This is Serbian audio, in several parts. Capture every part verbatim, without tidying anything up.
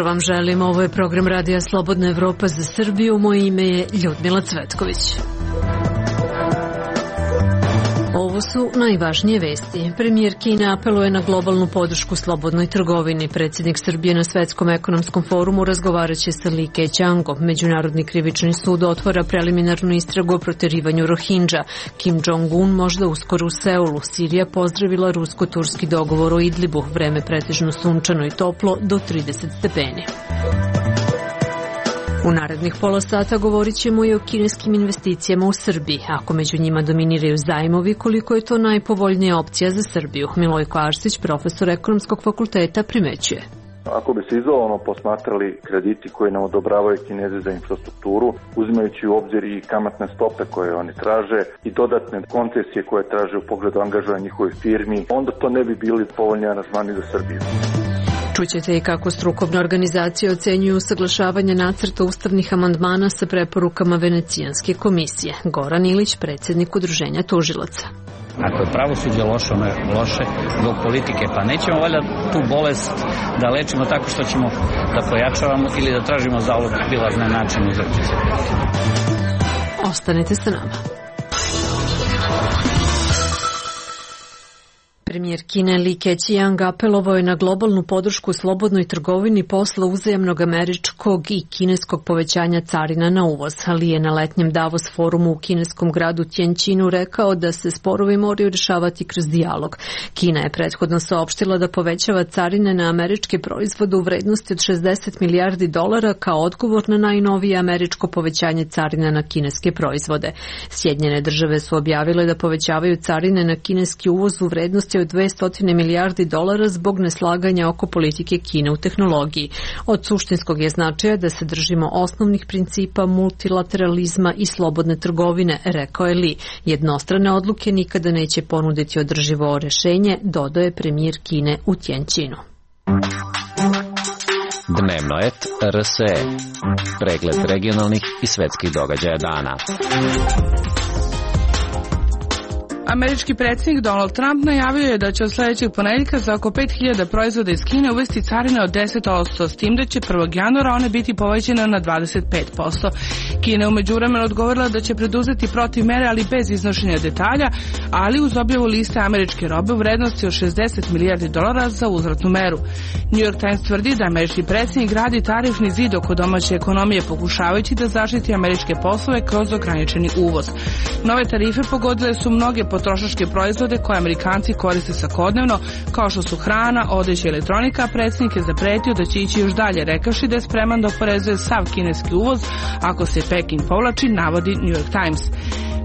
jutro vam želim. Ovo je program Radija Slobodna Evropa za Srbiju. Moje ime je Ljudmila Cvetković. Ovo su najvažnije vesti. Premijer Kine apeluje na globalnu podršku slobodnoj trgovini. Predsjednik Srbije na Svetskom ekonomskom forumu razgovaraće sa Li Keqiangom. Međunarodni krivični sud otvara preliminarnu istragu o proterivanju Rohingya. Kim Jong-un možda uskoro u Seulu. Sirija pozdravila rusko-turski dogovor o Idlibu. Vreme pretežno sunčano i toplo do trideset stepeni. U narednih pola sata govorit ćemo i o kineskim investicijama u Srbiji. Ako među njima dominiraju zajmovi, koliko je to najpovoljnija opcija za Srbiju? Milojko Arsić, profesor Ekonomskog fakulteta, primećuje. Ako bi se izolovano posmatrali krediti koji nam odobravaju Kinezi za infrastrukturu, uzimajući u obzir i kamatne stope koje oni traže i dodatne koncesije koje traže u pogledu angažovanja njihovih firmi, onda to ne bi bili povoljni aranžmani za Srbiju. Čućete i kako strukovne organizacije ocenjuju usaglašavanje nacrta ustavnih amandmana sa preporukama Venecijanske komisije. Goran Ilić, predsjednik Udruženja tužilaca. Ako je pravosuđe loše, ono je loše zbog politike, pa nećemo valjda tu bolest da lečimo tako što ćemo da pojačavamo ili da tražimo zalog bilazne načine uzročice. Ostanite sa nama. Premijer Kine Li Keqiang apelovao je na globalnu podršku slobodnoj trgovini posle uzajamnog američkog i kineskog povećanja carina na uvoz. Li je na letnjem Davos forumu u kineskom gradu Tianjinu rekao da se sporovi moraju rješavati kroz dijalog. Kina je prethodno saopštila da povećava carine na američke proizvode u vrednosti od šezdeset milijardi dolara kao odgovor na najnovije američko povećanje carina na kineske proizvode. Sjedinjene države su objavile da povećavaju carine na kineski uvoz u vrednosti od dvesta milijardi dolara zbog neslaganja oko politike Kine u tehnologiji. Od suštinskog je značaja da se držimo osnovnih principa multilateralizma i slobodne trgovine, rekao je Li. Jednostrane odluke nikada neće ponuditi održivo rješenje, dodao je premijer Kine u Tianjinu. Dnevno et R S E. Pregled regionalnih i svetskih događaja dana. Američki predsjednik Donald Trump najavio je da će od sljedećeg ponedjeljka za oko pet hiljada proizvoda iz Kine uvesti carine od deset posto, s tim da će prvog januara one biti povećane na dvadeset pet posto. Kina je u međuvremenu odgovorila da će preduzeti protiv mere, ali bez iznošenja detalja, ali uz objavu liste američke robe u vrednosti od šezdeset milijardi dolara za uzvratnu meru. New York Times tvrdi da američki predsjednik gradi tarifni zid oko domaće ekonomije, pokušavajući da zaštiti američke poslove kroz ograničeni uvoz. Nove tarife pogodile su mnoge potrošačke proizvode koje Amerikanci koriste svakodnevno, kao što su hrana, odeća i elektronika. Predsjednik je zapretio da će ići još dalje, rekavši da je spreman da oporezuje sav kineski uvoz ako se Peking povlači, navodi New York Times.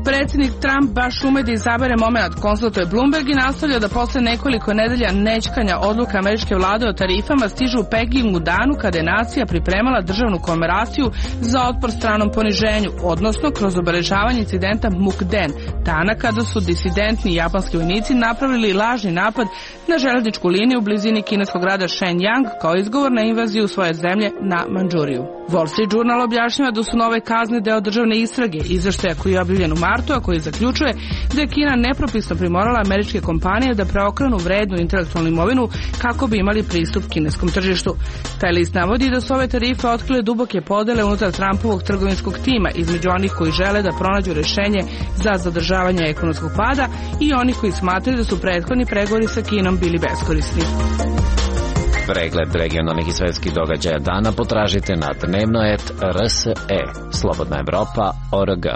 Predsjednik Trump baš ume da izabere moment, konstatuje Bloomberg i nastavlja da posle nekoliko nedelja nećkanja odluka američke vlade o tarifama stižu u Peking u danu kada je nacija pripremala državnu komemoraciju za otpor stranom poniženju, odnosno kroz obeležavanje incidenta Mukden, dana kada su disidentni japanski vojnici napravili lažni napad na železničku liniju u blizini kineskog grada Shenyang kao izgovor na invaziju svoje zemlje na Mandžuriju. Wall Street Journal objašnjava da su nove kazne deo državne istrage, izveštaja koji je objavljen u martu, a koji zaključuje da je Kina nepropisno primorala američke kompanije da preokrenu vrednu intelektualnu imovinu kako bi imali pristup kineskom tržištu. Taj list navodi da su ove tarife otkrile duboke podele unutar Trumpovog trgovinskog tima između onih koji žele da pronađu rješenje za zadržavanje ekonomskog pada i onih koji smatraju da su prethodni pregovori sa Kinom bili beskorisni. Pregled regionalnih i svetskih događaja dana potražite na dnevno et R S E. Slobodna Evropa, O R G.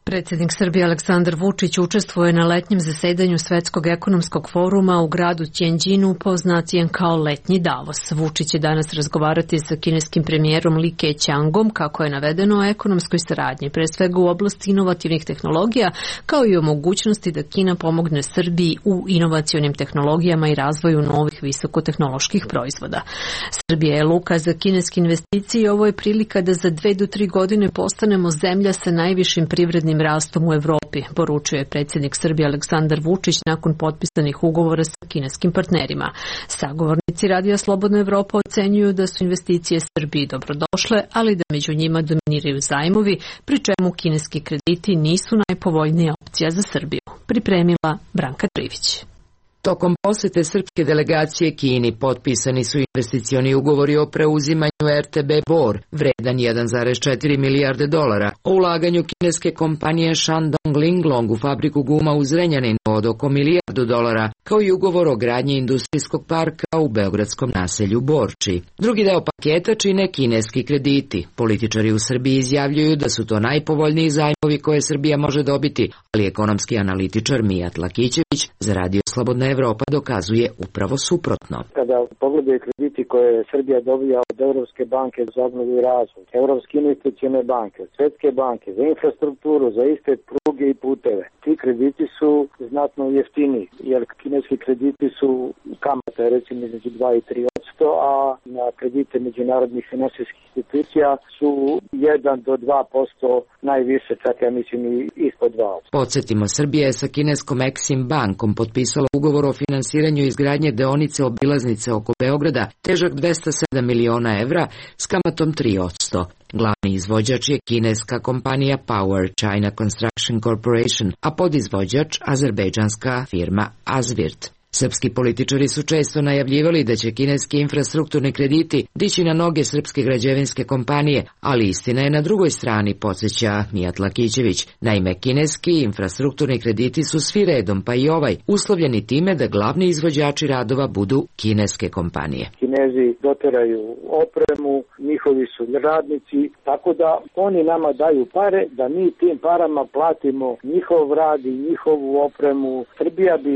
Predsjednik Srbije Aleksandar Vučić učestvuje na letnjem zasedanju Svetskog ekonomskog foruma u gradu Tianjinu, poznatijem kao letnji Davos. Vučić će danas razgovarati sa kineskim premijerom Li Keqiangom, kako je navedeno, o ekonomskoj saradnji, pre svega u oblasti inovativnih tehnologija, kao i o mogućnosti da Kina pomogne Srbiji u inovacionim tehnologijama i razvoju novih visokotehnoloških proizvoda. Srbija je luka za kineske investicije i ovo je prilika da za dve do tri godine postanemo zemlja sa najvišim privrednim rastom u Evropi, poručio je predsjednik Srbije Aleksandar Vučić nakon potpisanih ugovora sa kineskim partnerima. Sagovornici Radija Slobodna Evropa ocenjuju da su investicije Srbiji dobrodošle, ali da među njima dominiraju zajmovi, pri čemu kineski krediti nisu najpovoljnija opcija za Srbiju. Pripremila Branka Trivić. Tokom posete srpske delegacije Kini potpisani su investicioni ugovori o preuzimanju er te be Bor, vredan jedan zarez četiri milijarde dolara, o ulaganju kineske kompanije Shandong Linglong u fabriku guma u Zrenjaninu od oko milijardu dolara, kao i ugovor o gradnji industrijskog parka u beogradskom naselju Borči. Drugi deo paketa čine kineski krediti. Političari u Srbiji izjavljuju da su to najpovoljniji zajmovi koje Srbija može dobiti, ali ekonomski analitičar Mijat Lakićević za Radio Slobodna Evropa dokazuje upravo suprotno. Kada pogledaju krediti koje Srbija dobija od Evropske banke za obnovu i razvoj, Evropske investicione banke, Svetske banke, za infrastrukturu, za iste pruge i puteve, ti krediti su znatno jeftiniji, jer kineski krediti su kamate recimo između dva i tri posto, a na kredite međunarodnih finansijskih institucija su jedan do dva posto, najviše čak ja mislim i ispod dva posto. Podsjetimo, Srbija je sa kineskom Exim bankom potpisala ugovor o finansiranju izgradnje deonice obilaznice oko Beograda, težak dvesta sedam miliona evra s kamatom tri posto. Glavni izvođač je kineska kompanija Power China Construction Corporation, a podizvođač azerbejdžanska firma Azvirt. Srpski političari su često najavljivali da će kineski infrastrukturni krediti dići na noge srpske građevinske kompanije, ali istina je na drugoj strani, podsjeća Mijat Lakićević. Naime, kineski infrastrukturni krediti su svi redom, pa i ovaj, uslovljeni time da glavni izvođači radova budu kineske kompanije. Kinezi doteraju opremu, njihovi su radnici, tako da oni nama daju pare, da mi tim parama platimo njihov rad i njihovu opremu. Srbija bi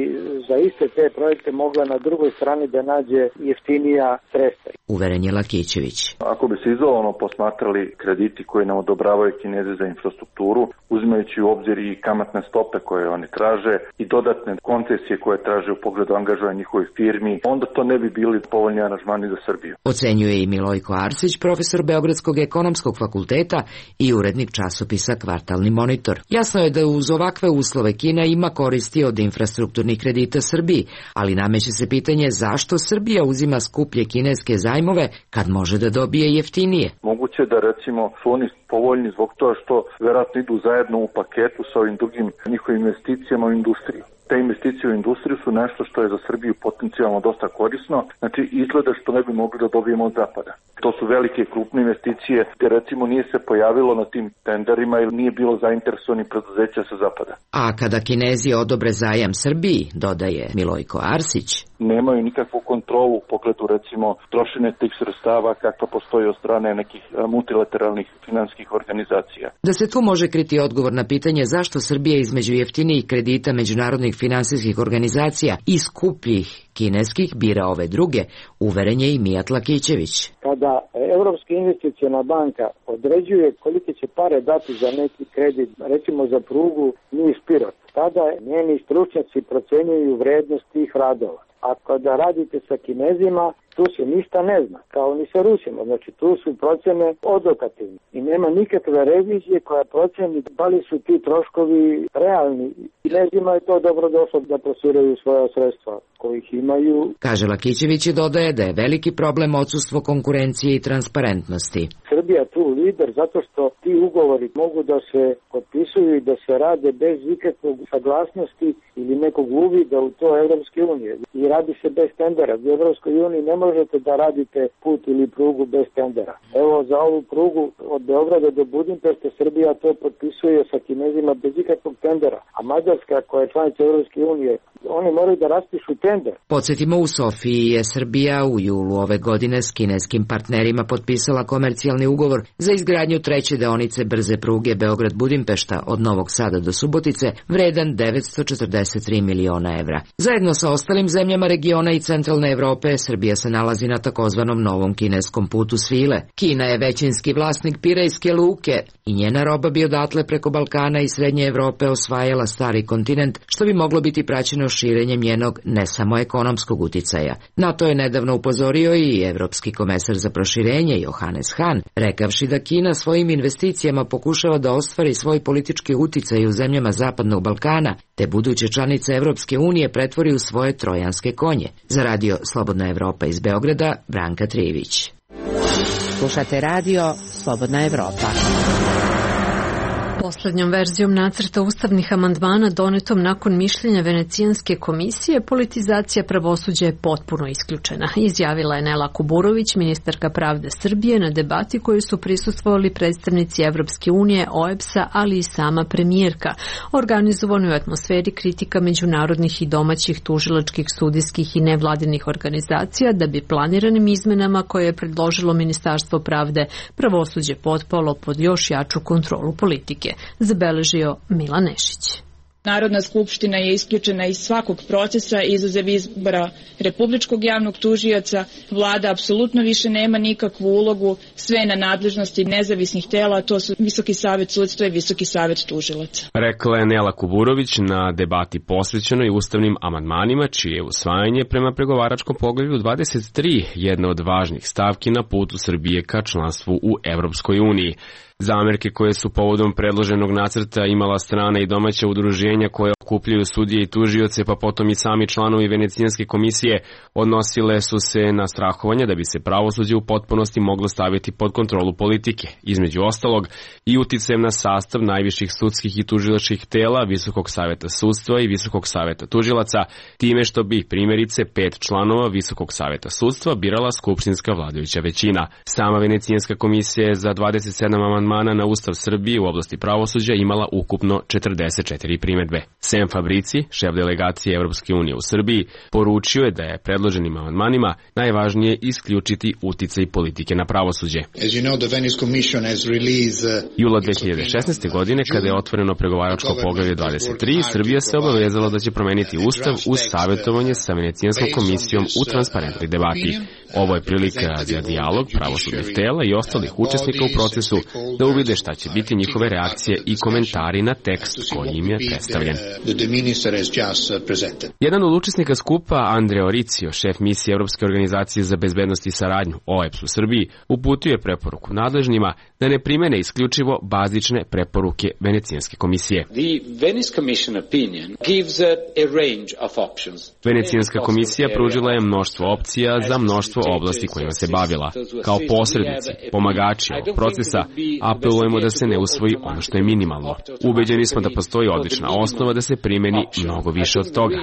za iste te projekte mogla na drugoj strani da nađe jeftinija sredstva. Uveren je Lakićević. Ako bi se izolovano posmatrali krediti koji nam odobravaju Kinezi za infrastrukturu, uzimajući u obzir i kamatne stope koje oni traže i dodatne koncesije koje traže u pogledu angažovanja njihovih firmi, onda to ne bi bili povoljni aranžmani za Srbiju. Ocenjuje i Milojko Arsić, profesor Beogradskog ekonomskog fakulteta i urednik časopisa Kvartalni monitor. Jasno je da uz ovakve uslove Kina ima koristi od infrastrukturnih kredita Srbiji, ali nameće se pitanje zašto Srbija uzima skuplje kineske zajmove kad može da dobije jeftinije. Moguće da recimo su oni povoljni zbog toga što verovatno idu zajedno u paketu sa ovim drugim njihovim investicijama u industriju. Te investicije u industriju su nešto što je za Srbiju potencijalno dosta korisno, znači izgleda što ne bi mogli da dobijemo od zapada. To su velike krupne investicije gde recimo nije se pojavilo na tim tenderima ili nije bilo zainteresovanih preduzeća sa zapada. A kada Kinezi odobre zajam Srbiji, dodaje Milojko Arsić, nemaju nikakvu kontrolu u pogledu recimo trošenja tih sredstava kakva postoji od strane nekih multilateralnih finansijskih organizacija. Da se tu može kriti odgovor na pitanje zašto Srbija između jeftinijih kredita međunarodnih finansijskih organizacija i skupljih kineskih bira ove druge, uveren je i Mijat Lakićević. Kada Evropska investiciona banka određuje kolike će pare dati za neki kredit, recimo za prugu Niš-Pirot, tada njeni stručnjaci procenjuju vrednost tih radova. A kada radite sa Kinezima, tu se ništa ne zna, kao ni sa Rusima. Znači, tu su procene odokativne i nema nikakve revizije koja proceni da li su ti troškovi realni. Kinezima je to dobro došlo da plasiraju svoja sredstva kojih imaju. Kaže Lakićević i dodaje da je veliki problem odsustvo konkurencije i transparentnosti. Srbija tu lider zato što ti ugovori mogu da se potpisuju i da se rade bez ikakvog saglasnosti ili nekog uvida u to Evropske unije. I radi se bez tendera. U Evropskoj uniji ne možete da radite put ili prugu bez tendera. Evo za ovu prugu od Beograda do Budimpešte Srbija to potpisuje sa Kinezima bez ikakvog tendera. A Mađarska koja je članica Evropske unije, oni moraju da raspišu tender. Podsjetimo, u Sofiji je Srbija u julu ove godine s kineskim partnerima potpisala komercijalni ugovor za izgradnju treće deonice brze pruge Beograd-Budimpešta od Novog Sada do Subotice, vredan devetsto četrdeset tri miliona evra. Zajedno sa ostalim zemljama regiona i centralne Evrope, Srbija se nalazi na takozvanom novom kineskom putu svile. Kina je većinski vlasnik Pirejske luke i njena roba bi odatle preko Balkana i Srednje Evrope osvajala stari kontinent, što bi moglo biti praćeno širenjem njenog ne samo ekonomskog uticaja. Na to je nedavno upozorio i evropski komesar za proširenje Johannes Hahn, rekavši da Kina svojim investicijama pokušava da ostvari svoj politički uticaj u zemljama Zapadnog Balkana, te buduće članice Evropske unije pretvori u svoje trojanske konje. Za Radio Slobodna Evropa iz Beograda, Branka Trijević. Slušate radio Slobodna Evropa. Poslednjom verzijom nacrta ustavnih amandmana donetom nakon mišljenja Venecijanske komisije, politizacija pravosuđa je potpuno isključena, izjavila je Nela Kuburović, ministarka pravde Srbije, na debati koju su prisustvovali predstavnici Evropske unije, O E B S-a, ali i sama premijerka, organizovanoj u atmosferi kritika međunarodnih i domaćih tužilačkih, sudijskih i nevladinih organizacija da bi planiranim izmenama koje je predložilo Ministarstvo pravde pravosuđe potpalo pod još jaču kontrolu politike, zabeležio Milan Nešić. Narodna skupština je isključena iz svakog procesa izuzev izbora republičkog javnog tužioca. Vlada apsolutno više nema nikakvu ulogu, sve na nadležnosti nezavisnih tela, to su Visoki savet sudstva i Visoki savet tužilaca. Rekla je Nela Kuburović na debati posvećenoj ustavnim amandmanima, čije je usvajanje prema pregovaračkom poglavlju dvadeset tri jedna od važnih stavki na putu Srbije ka članstvu u Evropskoj uniji. Zamerke koje su povodom predloženog nacrta imala strana i domaća udruženja koje okupljaju sudije i tužioce, pa potom i sami članovi Venecijanske komisije, odnosile su se na strahovanje da bi se pravosuđe u potpunosti moglo staviti pod kontrolu politike, između ostalog i uticajem na sastav najviših sudskih i tužilačkih tela, Visokog saveta sudstva i Visokog saveta tužilaca, time što bi primjerice pet članova Visokog saveta sudstva birala skupštinska vladajuća većina. Sama Venecijanska komisija je za dvadeset sedam amandmana na Ustav Srbije u oblasti pravosuđa imala ukupno četrdeset četiri primedbe. Sem Fabrici, šef delegacije Evropske unije u Srbiji, poručio je da je predloženim amandmanima najvažnije isključiti uticaj politike na pravosuđe. Jula dve hiljade šesnaeste. godine, kada je otvoreno pregovaračko poglavlje dvadeset tri, Srbija se obavezala da će promeniti Ustav uz savjetovanje sa Venecijanskom komisijom u transparentnoj debati. Ovo je prilika za dijalog pravosudnih tela i ostalih učesnika u procesu da uvide šta će biti njihove reakcije i komentari na tekst koji im je predstavljen. Jedan od učesnika skupa, Andrea Oricio, šef misije Evropske organizacije za bezbednost i saradnju, O E B S u Srbiji, uputio je preporuku nadležnima da ne primene isključivo bazične preporuke Venecijanske komisije. Venecijanska komisija pružila je mnoštvo opcija za mnoštvo oblasti kojima se bavila. Kao posrednici, pomagači ovog procesa, apelujemo da se ne usvoji ono što je minimalno. Ubeđeni smo da postoji odlična osnova da se primeni mnogo više od toga.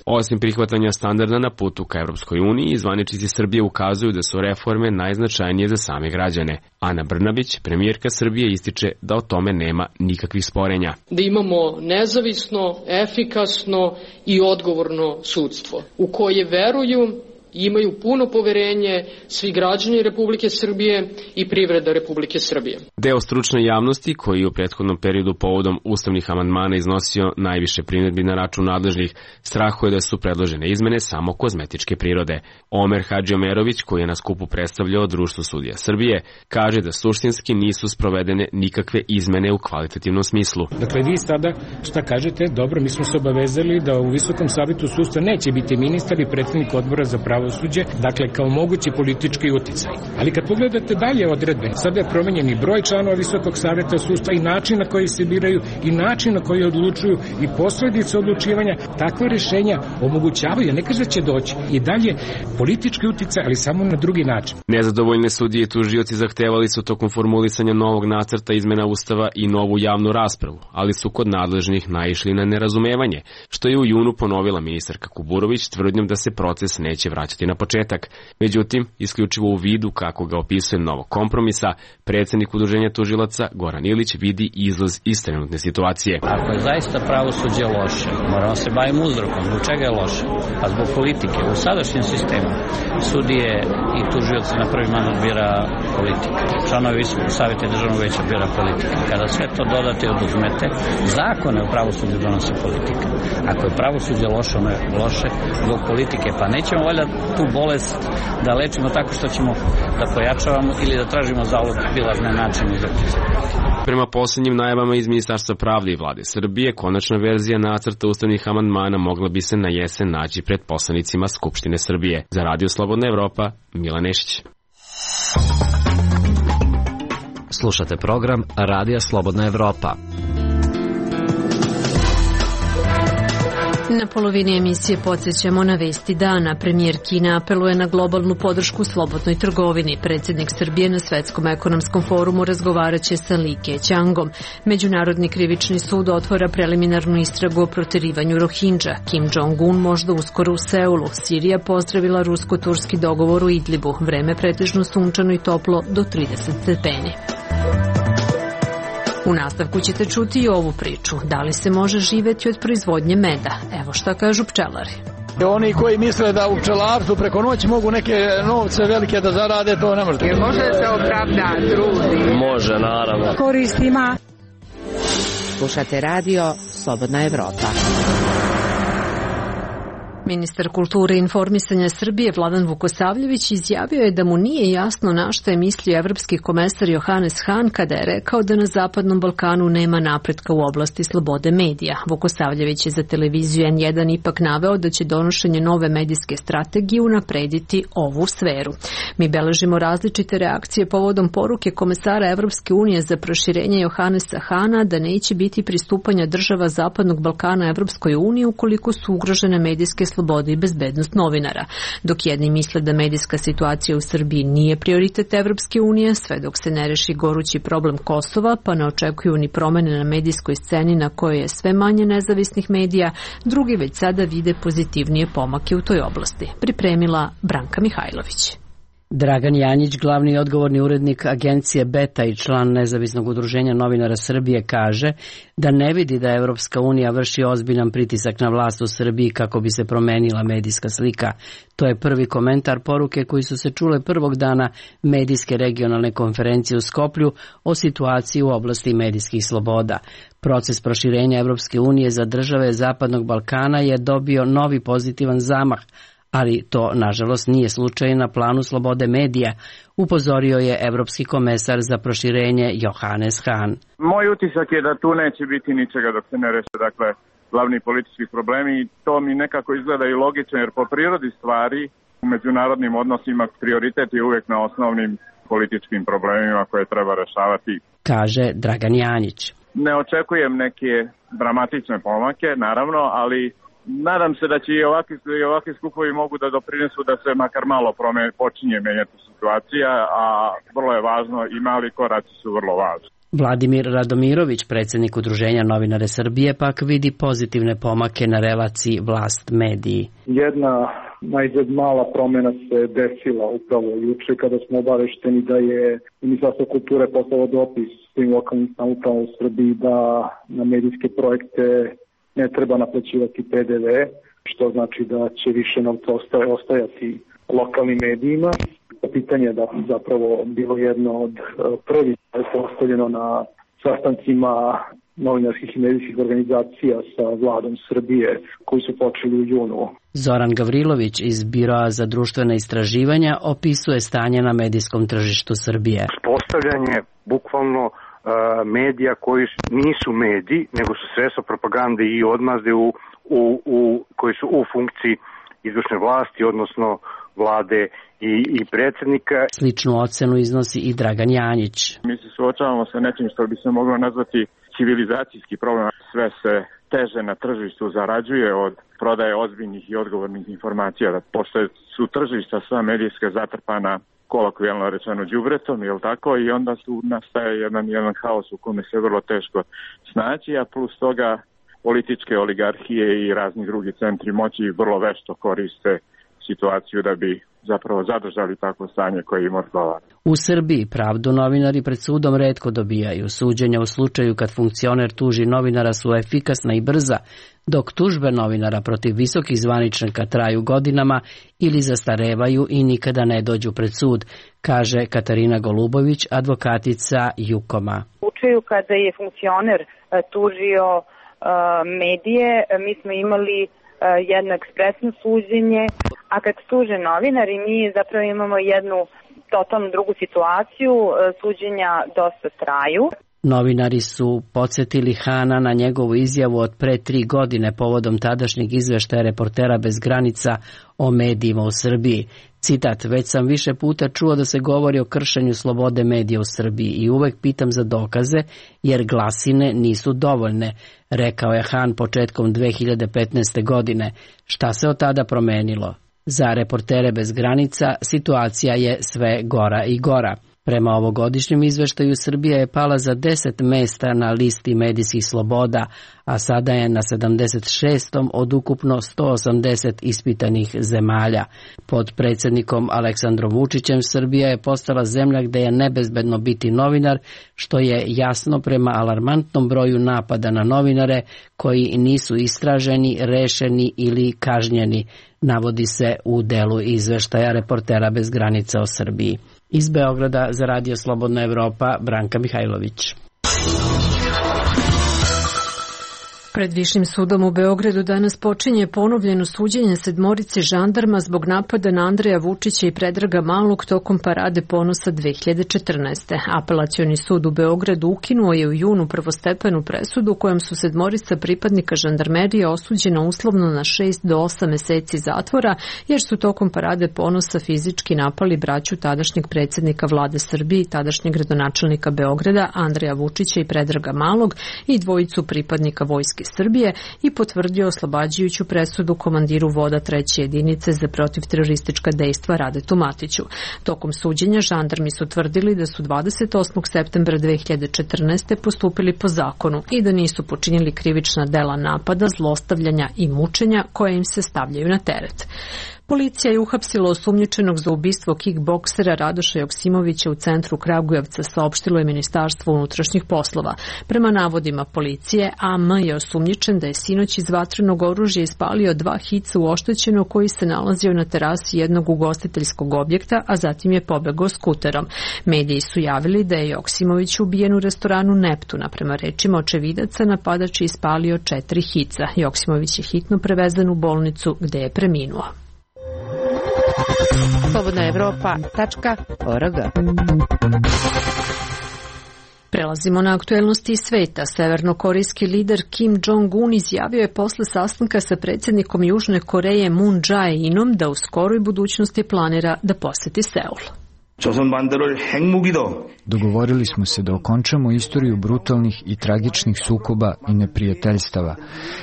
Osim prihvatanja standarda na putu ka Evropskoj uniji, zvaničnici Srbije ukazuju da su reforme najznačajnije za same građane. Ana Brnabić, premijerka Srbije, ističe da o tome nema nikakvih sporenja. Da imamo nezavisno, efikasno i odgovorno sudstvo u koje veruju i imaju puno poverenje svi građani Republike Srbije i privreda Republike Srbije. Deo stručne javnosti, koji je u prethodnom periodu povodom ustavnih amandmana iznosio najviše primjedbi na račun nadležnih, strahuje da su predložene izmene samo kozmetičke prirode. Omer Hadžiomerović, koji je na skupu predstavljao Društvo sudija Srbije, kaže da suštinski nisu sprovedene nikakve izmene u kvalitativnom smislu. Dakle, vi sada šta kažete? Dobro, mi smo se obavezali da u Visokom savetu sudstva neće biti ministar i predsednik odbora za pravo pravosuđe, dakle kao mogući politički uticaj. Ali kad pogledate dalje odredbe, sada je promenjen i broj članova Visokog saveta sudstva i način na koji se biraju i način na koji odlučuju i posledice odlučivanja, takve rešenja omogućavaju, ne kaže da će doći i dalje politički uticaj, ali samo na drugi način. Nezadovoljne sudije i tužioci zahtevali su tokom formulisanja novog nacrta izmena Ustava i novu javnu raspravu, ali su kod nadležnih naišli na nerazumevanje, što je u junu ponovila ministarka Kuburović tvrdnjom da se proces neće vraćati na početak. Međutim, isključivo u vidu kako ga opisuje novog kompromisa, predsjednik udruženja tužilaca Goran Ilić vidi izlaz iz trenutne situacije. Ako je zaista pravosuđe loše, moramo se baviti uzrokom. Zbog čega je loše? Pa zbog politike. U sadašnjem sistemu sudije i tužioci na prvi mandat bira politika. Članovi Visokog saveta i državnog veća bira politika. Kada sve to dodate i oduzmete, zakone o pravosuđu donose politika. Ako je pravosuđe loše, ono je loše zbog politike, pa nećemo valjda tu bolest da lečimo tako što ćemo da pojačavamo ili da tražimo zalog bilazne načine za Prema posljednjim najavama iz Ministarstva pravde i vlade Srbije, konačna verzija nacrta ustavnih amandmana mogla bi se na jesen naći pred poslanicima Skupštine Srbije. Za Radio Slobodna Evropa, Milan Nešić. Slušate program Radija Slobodna Evropa. Na polovini emisije podsjećamo na vesti dana. Premijer Kine apeluje na globalnu podršku slobodnoj trgovini. Predsjednik Srbije na Svetskom ekonomskom forumu razgovaraće sa Li Keqiangom. Međunarodni krivični sud otvara preliminarnu istragu o proterivanju Rohingya. Kim Jong-un možda uskoro u Seulu. Sirija pozdravila rusko-turski dogovor u Idlibu. Vreme pretežno sunčano i toplo do trideset stepeni. U nastavku ćete čuti i ovu priču. Da li se može živjeti od proizvodnje meda? Evo šta kažu pčelari. Oni koji misle da u pčelarstvu preko noći mogu neke novce velike da zarade, to ne može. Jer može da se opravda trudi? Može, naravno. Koristima. Slušate radio Slobodna Evropa. Ministar kulture i informisanja Srbije Vladan Vukosavljević izjavio je da mu nije jasno na što je mislio evropski komesar Johannes Hahn kada je rekao da na Zapadnom Balkanu nema napretka u oblasti slobode medija. Vukosavljević je za televiziju en jedan ipak naveo da će donošenje nove medijske strategije unaprediti ovu sferu. Mi beležimo različite reakcije povodom poruke komesara Evropske unije za proširenje Johannesa Hahna da neće biti pristupanja država Zapadnog Balkana Evropskoj uniji ukoliko su ugrožene medijske slobode slobode i bezbednost novinara. Dok jedni misle da medijska situacija u Srbiji nije prioritet Evropske unije, sve dok se ne reši gorući problem Kosova, pa ne očekuju ni promene na medijskoj sceni na kojoj je sve manje nezavisnih medija, drugi već sada vide pozitivnije pomake u toj oblasti. Pripremila Branka Mihajlović. Dragan Janjić, glavni i odgovorni urednik agencije Beta i član Nezavisnog udruženja novinara Srbije, kaže da ne vidi da Evropska unija vrši ozbiljan pritisak na vlast u Srbiji kako bi se promenila medijska slika. To je prvi komentar poruke koji su se čule prvog dana medijske regionalne konferencije u Skoplju o situaciji u oblasti medijskih sloboda. Proces proširenja Evropske unije za države Zapadnog Balkana je dobio novi pozitivan zamah, ali to, nažalost, nije slučaj na planu slobode medija, upozorio je evropski komesar za proširenje Johannes Hahn. Moj utisak je da tu neće biti ničega dok se ne reše, dakle, glavni politički problemi, i to mi nekako izgleda i logično, jer po prirodi stvari u međunarodnim odnosima prioritet je uvijek na osnovnim političkim problemima koje treba rešavati, kaže Dragan Janjić. Ne očekujem neke dramatične pomake, naravno, ali nadam se da će i ovakvi, i ovakvi skupovi mogu da doprinesu da se makar malo prome, počinje menjati situacija, a vrlo je važno i mali koraci su vrlo važni. Vladimir Radomirović, predsjednik Udruženja novinare Srbije, pak vidi pozitivne pomake na relaciji vlast-mediji. Jedna najzad mala promjena se desila upravo juče kada smo obavešteni da je Ministarstvo kulture poslalo dopis svim lokalnim samoupravama u Srbiji da na medijske projekte ne treba naplaćivati pe de ve, što znači da će više novca ostajati lokalnim medijima. Pitanje je da zapravo bilo jedno od prvih postavljeno na sastancima novinarskih i medijskih organizacija sa vladom Srbije koji su počeli u junu. Zoran Gavrilović iz Biroa za društvena istraživanja opisuje stanje na medijskom tržištu Srbije. Postavljanje bukvalno medija koji nisu mediji, nego su sredstva propagande i odmazde u, u, u, koji su u funkciji izvršne vlasti, odnosno vlade i, i predsjednika. Sličnu ocenu iznosi i Dragan Janjić. Mi se suočavamo sa nečim što bi se moglo nazvati civilizacijski problem. Sve se teže na tržištu zarađuje od prodaje ozbiljnih i odgovornih informacija. Pošto su tržišta sva medijska zatrpana kolokvijalno rečeno đubretom, jel tako, i onda tu nastaje jedan, jedan haos u kome se vrlo teško snaći, a plus toga političke oligarhije i razni drugi centri moći vrlo vešto koriste situaciju da bi zapravo zadržali takvo stanje koje im odgovara. U Srbiji pravdu novinari pred sudom retko dobijaju. Suđenja u slučaju kad funkcioner tuži novinara su efikasna i brza, dok tužbe novinara protiv visokih zvaničnika traju godinama ili zastarevaju i nikada ne dođu pred sud, kaže Katarina Golubović, advokatica Jukoma. U slučaju kada je funkcioner tužio medije, mi smo imali jedno ekspresno suđenje, a kad tuže novinari, mi zapravo imamo jednu totalno drugu situaciju, suđenja dosta traju. Novinari su podsjetili Hana na njegovu izjavu od pre tri godine povodom tadašnjeg izveštaja Reportera bez granica o medijima u Srbiji. Citat, već sam više puta čuo da se govori o kršenju slobode medija u Srbiji i uvek pitam za dokaze, jer glasine nisu dovoljne, rekao je Han početkom dve hiljade petnaeste. godine. Šta se od tada promenilo? Za Reportere bez granica situacija je sve gora i gora. Prema ovogodišnjem izveštaju Srbija je pala za deset mesta na listi medijskih sloboda, a sada je na sedamdeset šestom od ukupno sto osamdeset ispitanih zemalja. Pod predsjednikom Aleksandrom Vučićem Srbija je postala zemlja gde je nebezbedno biti novinar, što je jasno prema alarmantnom broju napada na novinare koji nisu istraženi, rešeni ili kažnjeni, navodi se u delu izveštaja Reportera bez granica o Srbiji. Iz Beograda za Radio Slobodna Evropa, Branka Mihajlović. Pred Višim sudom u Beogradu danas počinje ponovljeno suđenje sedmorice žandarma zbog napada na Andreja Vučića i Predraga Malog tokom Parade ponosa dve hiljade četrnaeste. Apelacioni sud u Beogradu ukinuo je u junu prvostepenu presudu kojom su sedmorica pripadnika žandarmerije osuđena uslovno na šest do osam meseci zatvora, jer su tokom Parade ponosa fizički napali braću tadašnjeg predsjednika vlade Srbije i tadašnjeg gradonačelnika Beograda Andreja Vučića i Predraga Malog i dvojicu pripadnika vojske Srbije i potvrdio oslobađajuću presudu komandiru voda treće jedinice za protivteroristička dejstva Radetu Matiću. Tokom suđenja žandarmi su tvrdili da su dvadeset osmog septembra dve hiljade četrnaeste. postupili po zakonu i da nisu počinili krivična dela napada, zlostavljanja i mučenja koje im se stavljaju na teret. Policija je uhapsila osumnjičenog za ubistvo kickboksera Radoša Joksimovića u centru Kragujevca, saopštilo je Ministarstvo unutrašnjih poslova. Prema navodima policije, A M je osumnjičen da je sinoć iz vatrenog oružja ispalio dva hica u oštećenog koji se nalazio na terasi jednog ugostiteljskog objekta, a zatim je pobegao skuterom. Mediji su javili da je Joksimović ubijen u restoranu Neptuna. Prema rečima očevidaca, napadač je ispalio četiri hica. Joksimović je hitno prevezen u bolnicu gde je preminuo. Slobodna Evropa tačka org. Prelazimo na aktuelnosti sveta. Severnokorejski lider Kim Jong-un izjavio je posle sastanka sa predsjednikom Južne Koreje Moon Jae-inom da u skoroj budućnosti planira da poseti Seul. Dogovorili smo se da okončamo istoriju brutalnih i tragičnih sukoba i neprijateljstava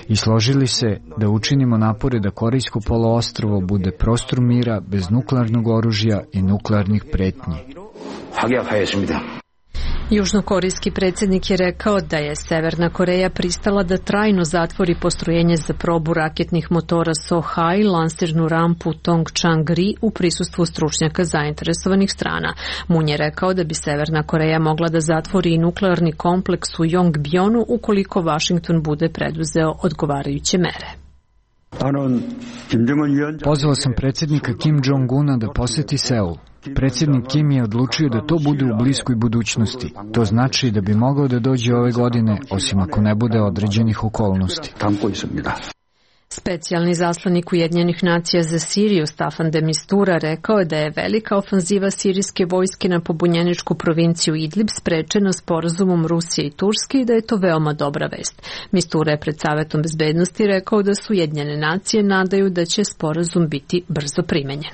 i složili se da učinimo napore da Korejsko poluostrvo bude prostor mira bez nuklearnog oružja i nuklearnih pretnji. Južnokorejski predsjednik je rekao da je Severna Koreja pristala da trajno zatvori postrojenje za probu raketnih motora Sohai, lansirnu rampu Tongchang-ri u prisustvu stručnjaka zainteresovanih strana. Moon je rekao da bi Severna Koreja mogla da zatvori i nuklearni kompleks u Yongbjonu ukoliko Washington bude preduzeo odgovarajuće mere. Pozvao sam predsjednika Kim Jong-una da poseti Seul. Predsjednik Kim je odlučio da to bude u bliskoj budućnosti. To znači da bi mogao da dođe ove godine, osim ako ne bude određenih okolnosti. Specijalni zaslanik Ujedinjenih nacija za Siriju Staffan de Mistura rekao je da je velika ofanziva sirijske vojske na pobunjeničku provinciju Idlib sprečena sporazumom Rusije i Turske i da je to veoma dobra vest. Mistura je pred Savetom bezbednosti rekao da su Ujedinjene nacije nadaju da će sporazum biti brzo primenjen.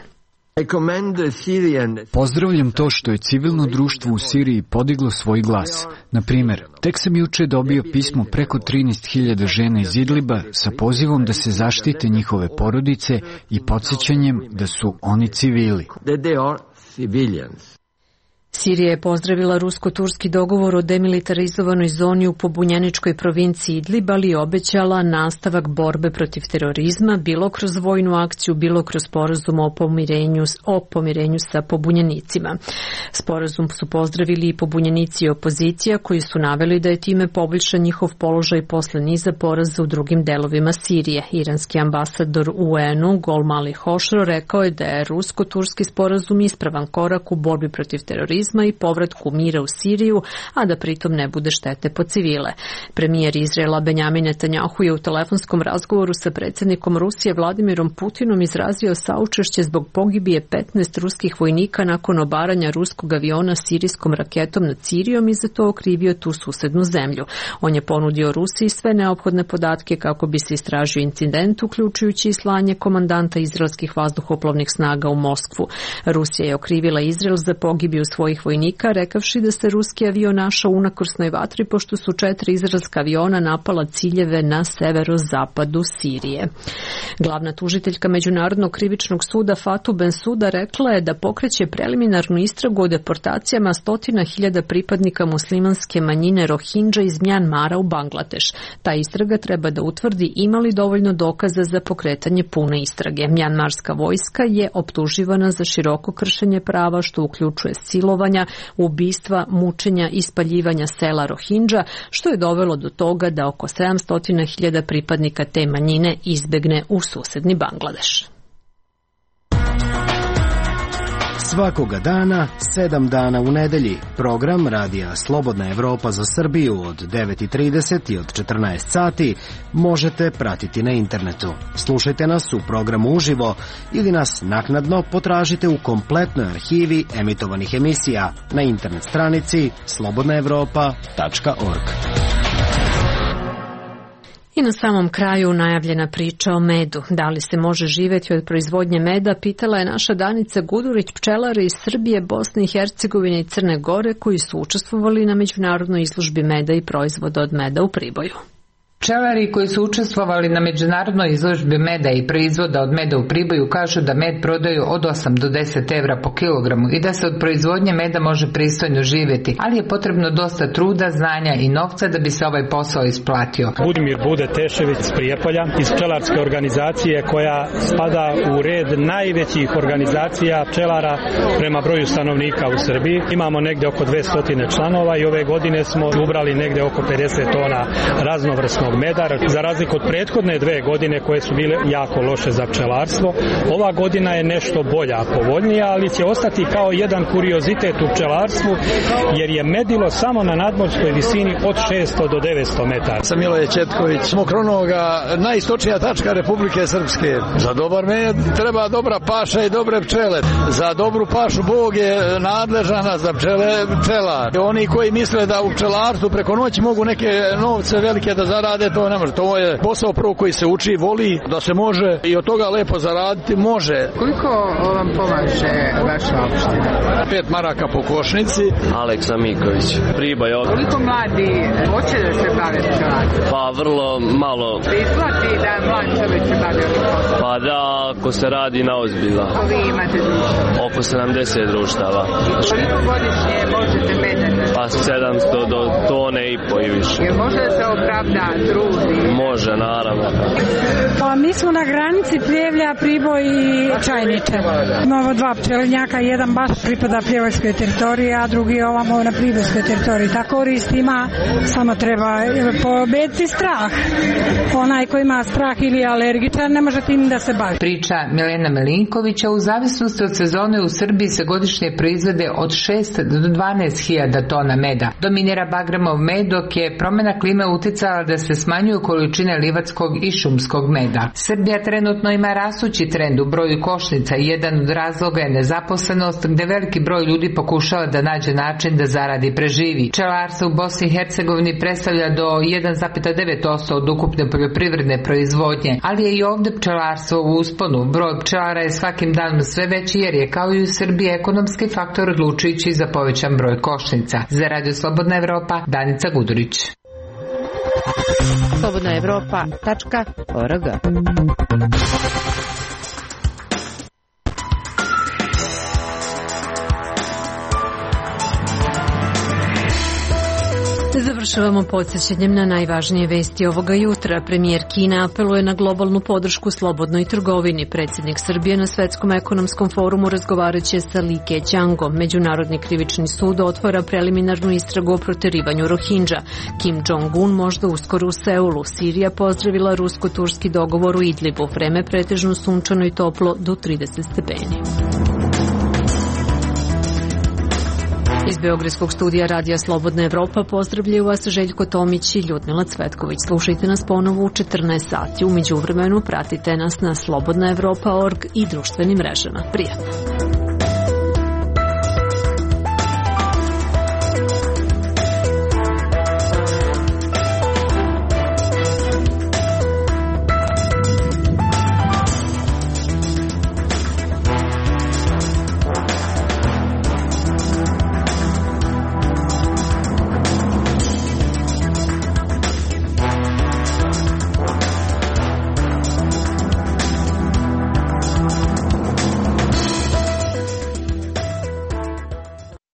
Pozdravljam to što je civilno društvo u Siriji podiglo svoj glas. Na primjer, tek sam juče dobio pismo preko trinaest hiljada žena iz Idliba sa pozivom da se zaštite njihove porodice i podsjećanjem da su oni civili. Sirija je pozdravila rusko-turski dogovor o demilitarizovanoj zoni u pobunjeničkoj provinciji Idlib, ali je obećala nastavak borbe protiv terorizma, bilo kroz vojnu akciju, bilo kroz sporazum o pomirenju, o pomirenju sa pobunjenicima. Sporazum su pozdravili i pobunjenici i opozicija, koji su naveli da je time poboljšan njihov položaj posle niza poraza u drugim delovima Sirije. Iranski ambasador u U N U Golmali Hošro rekao je da je rusko-turski sporazum ispravan korak u borbi protiv terorizma, terorizma i povratku mira u Siriju, a da pritom ne bude štete po civile. Premijer Izraela Benjamin Netanjahu je u telefonskom razgovoru sa predsjednikom Rusije Vladimirom Putinom izrazio saučešće zbog pogibije petnaest ruskih vojnika nakon obaranja ruskog aviona sirijskom raketom nad Sirijom i za to okrivio tu susednu zemlju. On je ponudio Rusiji sve neophodne podatke kako bi se istražio incident, uključujući i slanje komandanta izraelskih vazduhoplovnih snaga u Moskvu. Rusija je okrivila Izrael za pogibiju svojih vojnika, rekavši da se ruski avion našao u unakrsnoj vatri pošto su četiri izraelska aviona napala ciljeve na severozapadu Sirije. Glavna tužiteljka Međunarodnog krivičnog suda Fatou Bensouda rekla je da pokreće preliminarnu istragu o deportacijama stotina hiljada pripadnika muslimanske manjine Rohingya iz Mjanmara u Bangladeš. Ta istraga treba da utvrdi ima li dovoljno dokaza za pokretanje pune istrage. Mjanmarska vojska je optuživana za široko kršenje prava što uključuje silovanja, ubistva, mučenja i spaljivanja sela Rohingya, što je dovelo do toga da oko sedamsto hiljada pripadnika te manjine izbegne u susedni Bangladeš. Svakoga dana, sedam dana u nedelji, program radija Slobodna Evropa za Srbiju od devet i trideset i od četrnaest sati možete pratiti na internetu. Slušajte nas u programu uživo ili nas naknadno potražite u kompletnoj arhivi emitovanih emisija na internet stranici slobodna evropa tačka org. I na samom kraju najavljena priča o medu. Da li se može živjeti od proizvodnje meda, pitala je naša Danica Gudurić, pčelare iz Srbije, Bosne i Hercegovine i Crne Gore koji su učestvovali na međunarodnoj izložbi meda i proizvoda od meda u Priboju. Pčelari koji su učestvovali na međunarodnoj izložbi meda i proizvoda od meda u Priboju kažu da med prodaju od osam do deset evra po kilogramu i da se od proizvodnje meda može pristojno živjeti, ali je potrebno dosta truda, znanja i novca da bi se ovaj posao isplatio. Budimir Bude Tešević iz Prijepolja, iz pčelarske organizacije koja spada u red najvećih organizacija pčelara prema broju stanovnika u Srbiji. Imamo negde oko dvesta članova i ove godine smo ubrali negde oko pedeset tona raznovrsnog meda, za razliku od prethodne dve godine koje su bile jako loše za pčelarstvo. Ova godina je nešto bolja, povoljnija, ali će ostati kao jedan kuriozitet u pčelarstvu, jer je medilo samo na nadmorskoj visini od šesto do devetsto metara. Sam Miloje Četković, smo Mokronoga, najistočnija tačka Republike Srpske. Za dobar med treba dobra paša i dobre pčele. Za dobru pašu Bog je nadležan, a za pčele pčelar. Oni koji misle da u pčelarstvu preko noći mogu neke novce velike da zarade, to ne može. To je posao prvo koji se uči, voli, da se može i od toga lepo zaraditi može. Koliko vam pomaže vaša opština? Pet maraka po košnici. Aleksa Miković, Priboj. Koliko mladi hoće da se bave pčelarstvom? Pa vrlo malo. Isplati da mlad čovjek se bavi ovim poslom? Pa da, ako se radi na ozbiljno. Koliko vi imate društava? Oko sedamdeset društava. Koliko godišnje možete medati? Pa sedamsto do tone i po i više. Jer može da se opravda trudi? Može, naravno. Pa mi smo na granici Pljevlja, Priboj i Čajniče. Imamo dva pčelinjaka, jedan baš pripada Pljevojskoj teritoriji, a drugi ovamo na Pribojskoj teritoriji. Ta korist ima, samo treba pobediti strah. Onaj ko ima strah ili je alergičan, ne može tim da se bavi. Priča Milena Milinkovića, u zavisnosti od sezone u Srbiji se godišnje proizvede od šest do dvanaest hiljada tona meda. Dominira bagremov med, dok je promjena klime uticala da se smanjuju količine livatskog i šumskog meda. Srbija trenutno ima rasući trend u broju košnica i jedan od razloga je nezaposlenost, gde veliki broj ljudi pokušava da nađe način da zaradi i preživi. Pčelarstvo u Bosni i Hercegovini predstavlja do jedan zarez devet posto od ukupne poljoprivredne proizvodnje, ali je i ovde pčelarstvo u usponu. Broj pčelara je svakim danom sve veći jer je kao i u Srbiji ekonomski faktor odlučujući za povećan broj košnica. Za Radio Slobodna Evropa, Danica Gudurić. slobodna evropa tačka org. Završavamo podsjećanjem na najvažnije vesti ovoga jutra. Premijer Kine apeluje na globalnu podršku slobodnoj trgovini. Predsjednik Srbije na Svetskom ekonomskom forumu razgovaraće sa Li Keqiangom. Međunarodni krivični sud otvara preliminarnu istragu o proterivanju Rohingya. Kim Jong-un možda uskoro u Seulu. Sirija pozdravila rusko-turski dogovor u Idlibu. Vreme pretežno sunčano i toplo do trideset stepeni. Iz Beogradskog studija Radija Slobodna Evropa pozdravljaju vas Željko Tomić i Ljudmila Cvetković. Slušajte nas ponovo u četrnaest sati. U međuvremenu pratite nas na slobodna evropa tačka org i društvenim mrežama. Prijatno!